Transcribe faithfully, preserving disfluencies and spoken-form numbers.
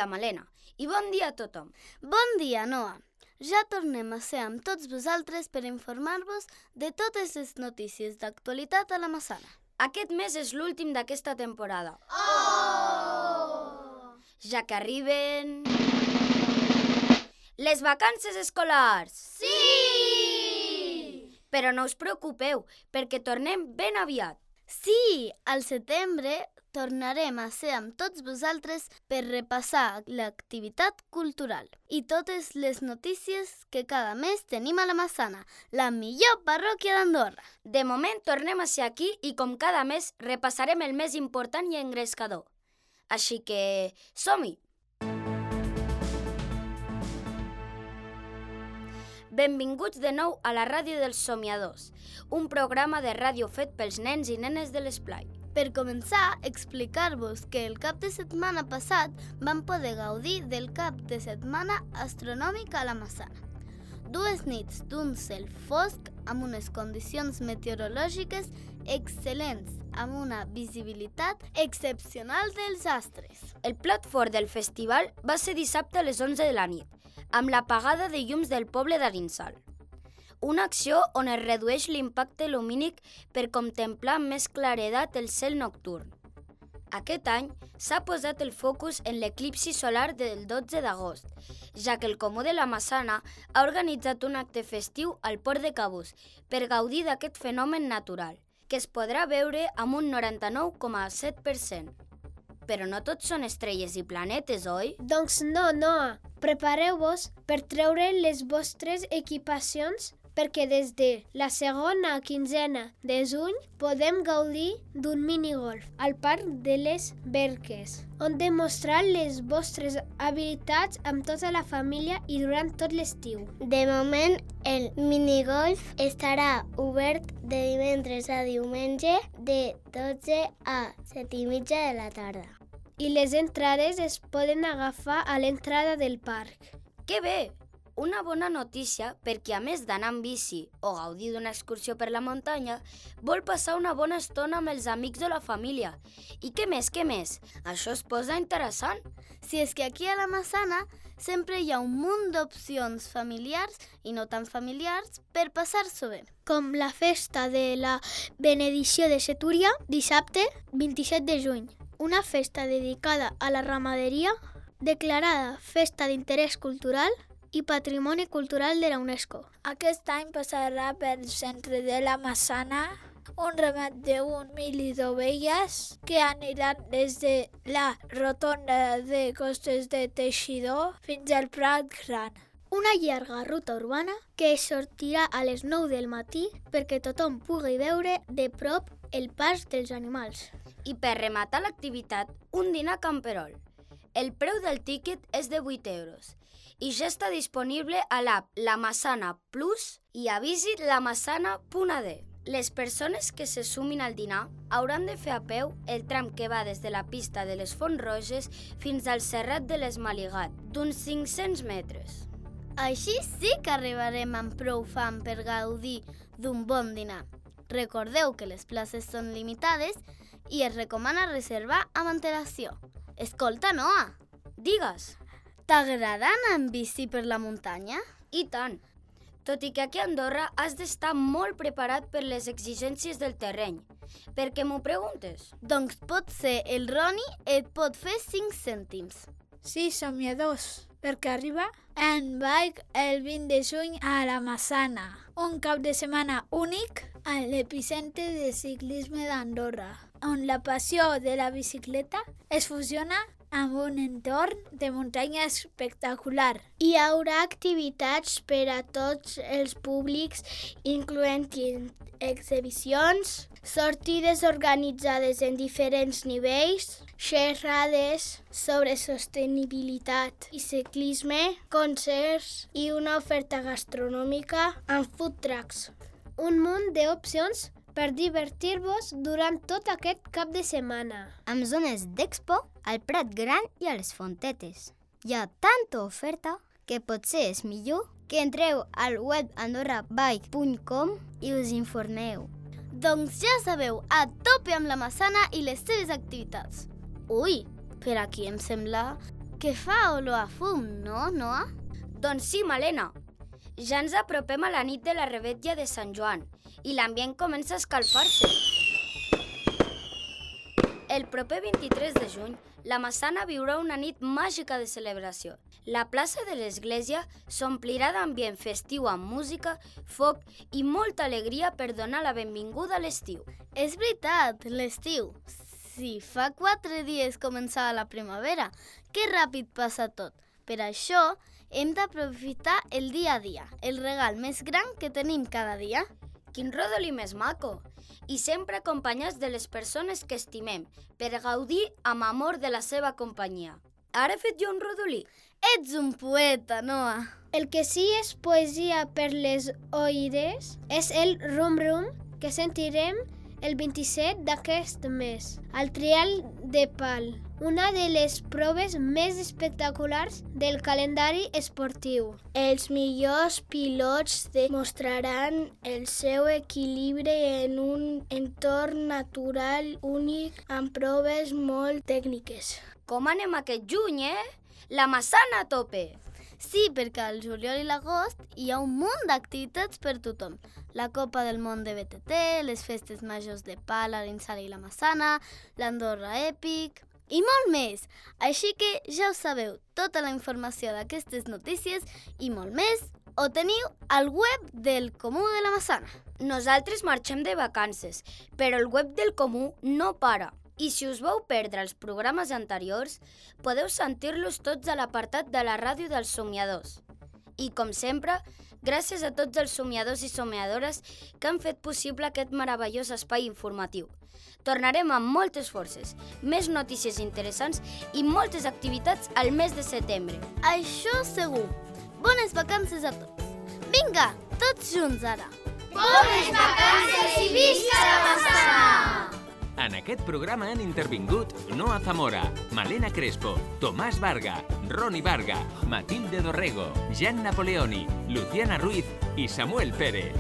dia, Malena, i bon dia a tothom. Bon dia, Noa. Ja tornem a ser amb tots vosaltres per informar-vos de totes les notícies d'actualitat a la Massana. Aquest mes és l'últim d'aquesta temporada. Oh! Ja que arriben... les vacances escolars! Sí! Però no us preocupeu, perquè tornem ben aviat. Sí, al setembre tornarem a ser amb tots vosaltres per repassar l'activitat cultural i totes les notícies que cada mes tenim a la Massana, la millor parròquia d'Andorra. De moment tornem a ser aquí i com cada mes repassarem el més important i engrescador. Així que som-hi! Benvinguts de nou a la Ràdio dels Somiadors, un programa de ràdio fet pels nens i nenes de l'Esplai. Per començar, explicar-vos que el cap de setmana passat vam poder gaudir del cap de setmana astronòmic a la Massana. Dues nits d'un cel fosc amb unes condicions meteorològiques excel·lents, amb una visibilitat excepcional dels astres. El plat fort del festival va ser dissabte a les onze de la nit, amb l'apagada de llums del poble d'Arinsal. Una acció on es redueix l'impacte lumínic per contemplar amb més claredat el cel nocturn. Aquest any s'ha posat el focus en l'eclipsi solar del dotze d'agost, ja que el Comú de la Massana ha organitzat un acte festiu al port de Cabús per gaudir d'aquest fenomen natural, que es podrà veure amb un noranta-nou coma set per cent. Però no tots són estrelles i planetes, oi? Doncs no, no. Prepareu-vos per treure les vostres equipacions perquè des de la segona quinzena de juny podem gaudir d'un minigolf al Parc de les Berques, on demostrar les vostres habilitats amb tota la família i durant tot l'estiu. De moment, el minigolf estarà obert de divendres a diumenge de dotze a set i mitja de la tarda. I les entrades es poden agafar a l'entrada del parc. Que bé! Una bona notícia per qui, a més d'anar amb bici o gaudir d'una excursió per la muntanya, vol passar una bona estona amb els amics o la família. I què més, què més? Això es posa interessant. Si és que aquí a la Massana sempre hi ha un munt d'opcions familiars i no tan familiars per passar-s'ho bé. Com la festa de la benedicció de Setúria, dissabte vint-i-set de juny. Una festa dedicada a la ramaderia, declarada Festa d'Interès Cultural i Patrimoni Cultural de la UNESCO. Aquest any passarà pel centre de la Massana un ramat d'un mil d'ovelles que aniran des de la rotonda de Costes de Teixidor fins al Prat Gran. Una llarga ruta urbana que sortirà a les nou del matí perquè tothom pugui veure de prop el pas dels animals. I per rematar l'activitat, un dinar a Camperol. El preu del tíquet és de vuit euros i ja està disponible a l'app La Massana Plus i a visit lamassana punt a d. Les persones que se sumin al dinar hauran de fer a peu el tram que va des de la pista de les Fonts Roges fins al Serrat de l'Esmaligat, d'uns cinc-cents metres. Així sí que arribarem amb prou fam per gaudir d'un bon dinar. Recordeu que les places són limitades i es recomana reservar amb antelació. Escolta, Noa! Digues! T'agrada anar en bici per la muntanya? I tant! Tot i que aquí a Andorra has d'estar molt preparat per les exigències del terreny. Per què m'ho preguntes? Doncs potser el Roni et pot fer cinc cèntims. Sí, somiadors, perquè arriba en bike el vint de juny a la Massana, un cap de setmana únic a l'epicentre de ciclisme d'Andorra, on la passió de la bicicleta es fusiona amb un entorn de muntanya espectacular. Hi haurà activitats per a tots els públics, incloent exhibicions, sortides organitzades en diferents nivells, xerrades sobre sostenibilitat i ciclisme, concerts i una oferta gastronòmica amb food trucks. Un munt d'opcions per divertir-vos durant tot aquest cap de setmana. Amb zones d'expo al Prat Gran i a les Fontetes. Hi ha tanta oferta que potser és millor que entreu al web andorra bike punt com i us informeu. Doncs ja sabeu, a tope amb la Massana i les seves activitats. Ui, per aquí em sembla que fa olor a fum, no, Noa? Doncs sí, Malena. Ja ens apropem a la nit de la revetlla de Sant Joan i l'ambient comença a escalfar-se. El proper vint-i-tres de juny, la Massana viurà una nit màgica de celebració. La plaça de l'església s'omplirà d'ambient festiu amb música, foc i molta alegria per donar la benvinguda a l'estiu. És veritat, l'estiu. Si fa quatre dies començava la primavera, que ràpid passa tot. Per això hem d'aprofitar el dia a dia, el regal més gran que tenim cada dia. Quin rodolí més maco! I sempre acompanyats de les persones que estimem, per gaudir amb amor de la seva companyia. Ara he fet jo un rodolí. Ets un poeta, Noa. El que sí és poesia per les oïdes és el rum-rum que sentirem el vint-i-set d'aquest mes, al Trial de Pal, una de les proves més espectaculars del calendari esportiu. Els millors pilots demostraran el seu equilibri en un entorn natural únic amb proves molt tècniques. Com anem aquest juny, eh? La Massana a tope! Sí, perquè al juliol i l'agost hi ha un munt d'activitats per tothom. La Copa del Món de B T T, les festes majors de Pal, Arinsal i la Massana, l'Andorra Èpic i molt més. Així que ja ho sabeu, tota la informació d'aquestes notícies i molt més ho teniu al web del Comú de la Massana. Nosaltres marxem de vacances, però el web del Comú no para. I si us vau perdre els programes anteriors, podeu sentir-los tots a l'apartat de la ràdio dels somiadors. I, com sempre, gràcies a tots els somiadors i somiadores que han fet possible aquest meravellós espai informatiu. Tornarem amb moltes forces, més notícies interessants i moltes activitats al mes de setembre. Això segur. Bones vacances a tots. Vinga, tots junts ara. Bones vacances i visca la Massana! En aquest programa han intervingut Noa Zamora, Malena Crespo, Tomàs Varga, Roni Varga, Matilde Dorrego, Jan Napoleoni, Luciana Ruiz i Samuel Pérez.